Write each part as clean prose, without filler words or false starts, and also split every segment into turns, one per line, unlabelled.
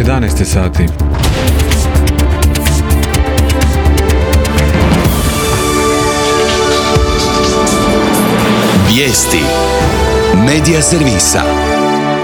11 sati.
Vijesti Medija servisa.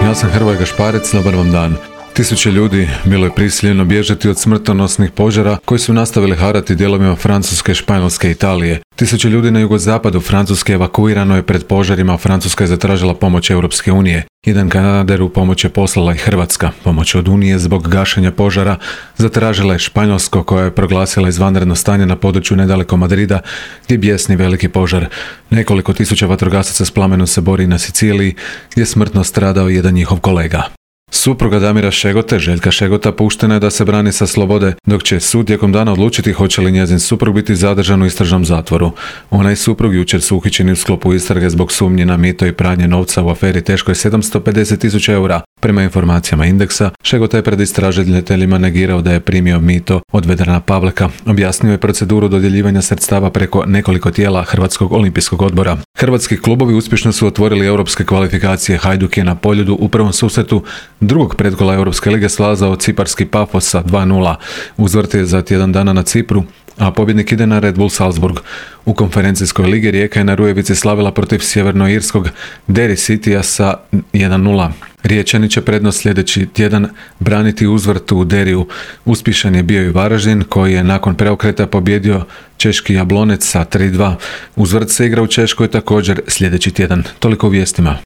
Ja sam Hrvoje Gašparec, dobar vam dan. Tisuće ljudi bilo je prisiljeno bježati od smrtonosnih požara koji su nastavili harati dijelovima Francuske, Španjolske i Italije. Tisuće ljudi na jugozapadu Francuske evakuirano je pred požarima, Francuska je zatražila pomoć Europske unije. Jedan Kanadaru pomoć je poslala i Hrvatska. Pomoć od Unije zbog gašenja požara zatražila je Španjolsko, koja je proglasila izvanredno stanje na području nedaleko Madrida gdje bjesni veliki požar. Nekoliko tisuća vatrogasaca s plamenom se bori na Siciliji gdje je smrtno stradao jedan njihov kolega. Supruga Damira Šegote, Željka Šegota, puštena je da se brani sa slobode, dok će sud tijekom dana odlučiti hoće li njezin suprug biti zadržan u istražnom zatvoru. Ona i suprug jučer su uhićeni u sklopu istrage zbog sumnje na mito i pranje novca u aferi teškoj 750.000 eura. Prema informacijama Indeksa, Šegota je pred istražiteljima negirao da je primio mito od Vedrana Pavleka. Objasnio je proceduru dodjeljivanja sredstava preko nekoliko tijela Hrvatskog olimpijskog odbora. Hrvatski klubovi uspješno su otvorili europske kvalifikacije. Hajduk je na Poljudu u prvom susretu drugog predkola Europske lige slazao ciparski Pafos sa 2:0. Uzvrt je za tjedan dana na Cipru, a pobjednik ide na Red Bull Salzburg. U konferencijskoj ligi Rijeka je na Rujevici slavila protiv sjevernoirskog Derry Citya sa 1:0. Riječani će prednost sljedeći tjedan braniti uzvrt u Derriju. Uspješan je bio i Varaždin, koji je nakon preokreta pobjedio češki Jablonec sa 3:2. Uzvrt se igra u Češkoj također sljedeći tjedan. Toliko u vijestima.